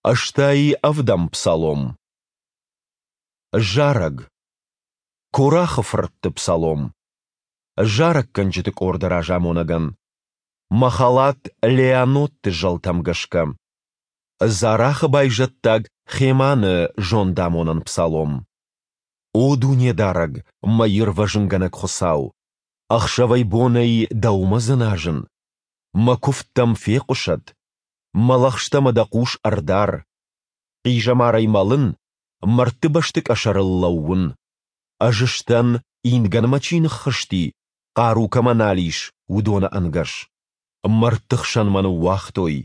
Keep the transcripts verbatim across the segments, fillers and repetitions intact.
Ӕстай ӕвдӕм псалом. Зарӕг. Корахы фыртты псалом. Зарӕггӕнджыты къорды разамонӕгӕн. Махалат Леанотты зӕлтӕм гӕсгӕ. Зарахы байзӕддаг Хеманы зондамонӕн псалом. О Дунедарӕг, мӕ ирвӕзынгӕнӕг Хуыцау! Ӕхсӕвӕй-бонӕй Дӕумӕ дзыназын. Мӕ куывд дӕм фехъуысӕд. Мӕ лӕгъстӕмӕ дӕ хъус ӕрдар. Хъизӕмарӕй мӕлын, мӕрдты бӕсты къӕсӕрыл лӕууын. Ӕз сдӕн, ингӕнмӕ чи ныххызти, хъару кӕмӕ нал ис, уыдоны ӕнгӕс. Мӕрдты хсӕн мӕ ныууагътой,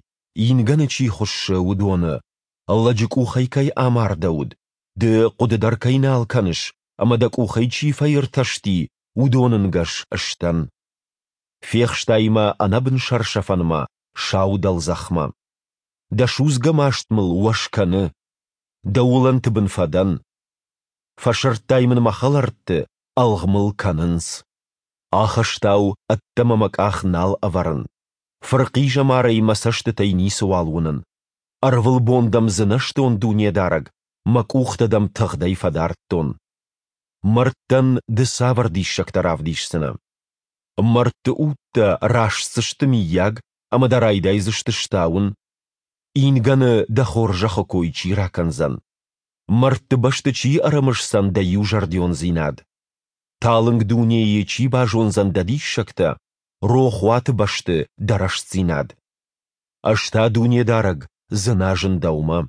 ингӕны чи хуыссы, уыдоны, лӕджы къухӕй кӕй амардӕуыд, ды хъуыды дӕр кӕй нал кӕныс ӕмӕ дӕ къухӕй чи фӕиртӕсти, уыдоны нгӕс сдӕн. Фехстай мӕ ӕнӕбын сӕрсӕфӕнмӕ, сау дӕлдзӕхмӕ. Дӕ судзгӕ маст мыл уӕз кӕны. Дӕ уылӕнты бын фӕдӕн. Фӕсырдтай мын мӕ хӕлӕртты, ӕлгъ мыл кӕнынц. Ахӕстау ӕддӕмӕ мӕ къах нал ӕвӕрын. Фырхъизӕмарӕй мӕ цӕстытӕй ницыуал уынын. Ӕрвылбон дӕм дзынӕзтон, Дунедарӕг, мӕ къухтӕ дӕм тыгъдӕй фӕдардтон. Мӕрдтӕн ды цавӕр диссӕгтӕ равдисдзынӕ? Мӕрдты удтӕ растдзысты, мыййаг, ӕмӕ дӕ райдайдзысты стауын? Ингӕны дӕ хорзӕхы кой чи ракӕндзӕн? Мӕрдты бӕсты чи ӕрымысдзӕн дӕ иузӕрдиондзинад? Талынг дунейы чи базондзӕн дӕ диссӕгтӕ, рохуаты бӕсты дӕ рӕстдзинад? Ӕз та, Дунедарӕг, дзыназын Дӕумӕ.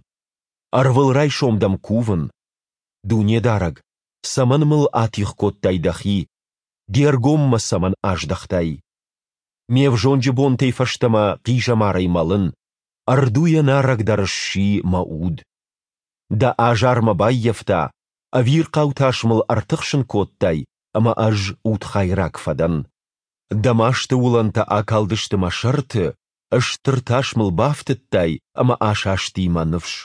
Ӕрвылрайсом дӕм кувын. Дунедарӕг, цӕмӕн мыл атигъ кодтай Дӕхи, Де ргом мӕ цӕмӕн аздӕхтай? Ме взонджы бонтӕй фӕстӕмӕ хъизӕмарӕй мӕлын, ӕрдуйӕ нарӕгдӕр сси мӕ уд. Дӕ азар мӕ баййӕфта, ӕвирхъау тас мыл ӕртыхсын кодтай, ӕмӕ ӕз удхайраг фӕдӕн. Дӕ масты уылӕнтӕ акалдысты мӕ сӕрты, стыр тас мыл бафтыдтай, ӕмӕ асасти мӕ ныфс.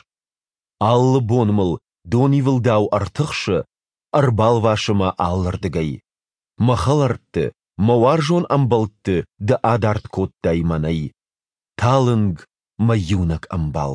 Алы бон мыл донивылдау ӕртыхсы, ӕрбалвасы мӕ алырдыгӕй. Мӕ хӕлӕртты, мӕ уарзон ӕмбӕлтты ды адард кодтай мӕнӕй. Талынг, мӕ иунӕг ӕмбал.